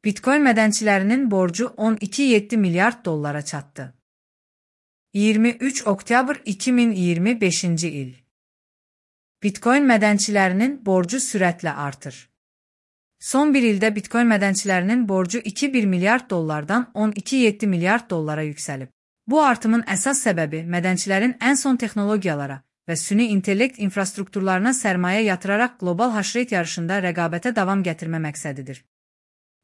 Bitcoin mədənçilərinin borcu 12,7 milyard dollara çatdı. 23 oktyabr 2025-ci il. Bitcoin mədənçilərinin borcu sürətlə artır. Son bir ildə Bitcoin mədənçilərinin borcu 2,1 milyard dollardan 12,7 milyard dollara yüksəlib. Bu artımın əsas səbəbi mədənçilərin ən son texnologiyalara və süni intellekt infrastrukturlarına sərmayə yatıraraq qlobal haşreyt yarışında rəqabətə davam gətirmə məqsədidir.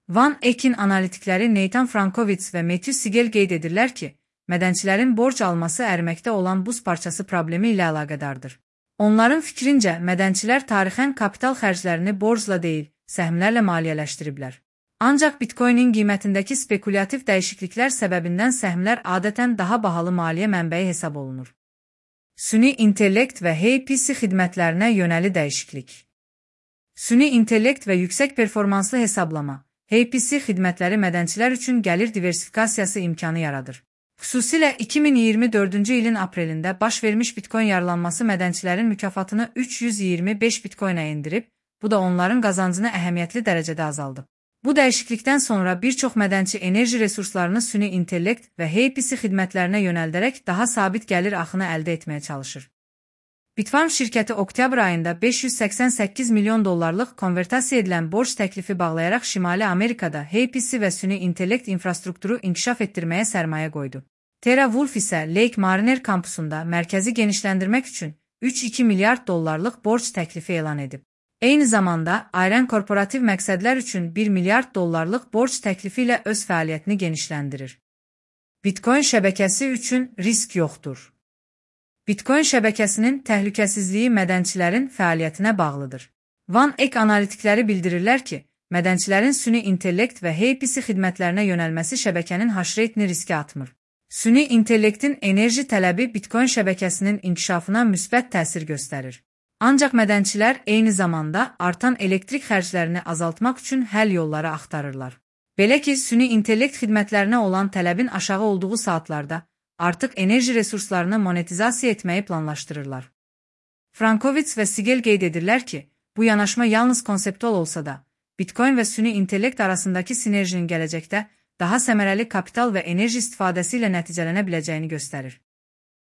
Van Eck'in analitikləri Nathan Frankovitz və Matthew Siegel qeyd edirlər ki, mədənçilərin borc alması əriməkdə olan buz parçası problemi ilə əlaqədardır. Onların fikrincə, mədənçilər tarixən kapital xərclərini borcla deyil, səhmlərlə maliyyələşdiriblər. Ancaq Bitcoinin qiymətindəki spekulativ dəyişikliklər səbəbindən səhmlər adətən daha bahalı maliyyə mənbəyi hesab olunur. Süni intellekt və HPC xidmətlərinə yönəli dəyişiklik. Süni intellekt və yüksək performanslı hesablama, HPC xidmətləri mədənçilər üçün gəlir diversifikasiyası imkanı yaradır. Xüsusilə 2024-cü ilin aprelində baş vermiş Bitcoin yaralanması mədənçilərin mükafatını 325 Bitcoinə endirib, bu da onların qazancını əhəmiyyətli dərəcədə azaldıb. Bu dəyişiklikdən sonra bir çox mədənçi enerji resurslarını süni intellekt və HPC xidmətlərinə yönəldərək daha sabit gəlir axını əldə etməyə çalışır. Bitfarms şirkəti oktyabr ayında 588 milyon dollarlıq konvertasiya edilən borc təklifi bağlayaraq Şimali Amerikada HPC və süni intellekt infrastrukturu inkişaf etdirməyə sərmayə qoydu. TeraWulf isə Lake Mariner kampusunda mərkəzi genişləndirmək üçün 3,2 milyard dollarlıq borc təklifi elan edib. Eyni zamanda, Ayran korporativ məqsədlər üçün 1 milyard dollarlıq borc təklifi ilə öz fəaliyyətini genişləndirir. Bitcoin şəbəkəsi üçün risk yoxdur. Bitcoin şəbəkəsinin təhlükəsizliyi mədənçilərin fəaliyyətinə bağlıdır. Van Eck analitikləri bildirirlər ki, mədənçilərin süni intellekt və HPC xidmətlərinə yönəlməsi şəbəkənin haşreytini riskə atmır. Süni intellektin enerji tələbi Bitcoin şəbəkəsinin inkişafına müsbət təsir göstərir. Ancaq mədənçilər eyni zamanda artan elektrik xərclərini azaltmaq üçün həll yolları axtarırlar. Belə ki, süni intellekt xidmətlərinə olan tələbin aşağı olduğu saatlarda artıq enerji resurslarını monetizasiya etməyi planlaşdırırlar. Frankovitz və Siegel qeyd edirlər ki, bu yanaşma yalnız konseptual olsa da, Bitcoin və süni intellekt arasındakı sinerjinin gələcəkdə daha səmərəli kapital və enerji istifadəsi ilə nəticələnə biləcəyini göstərir.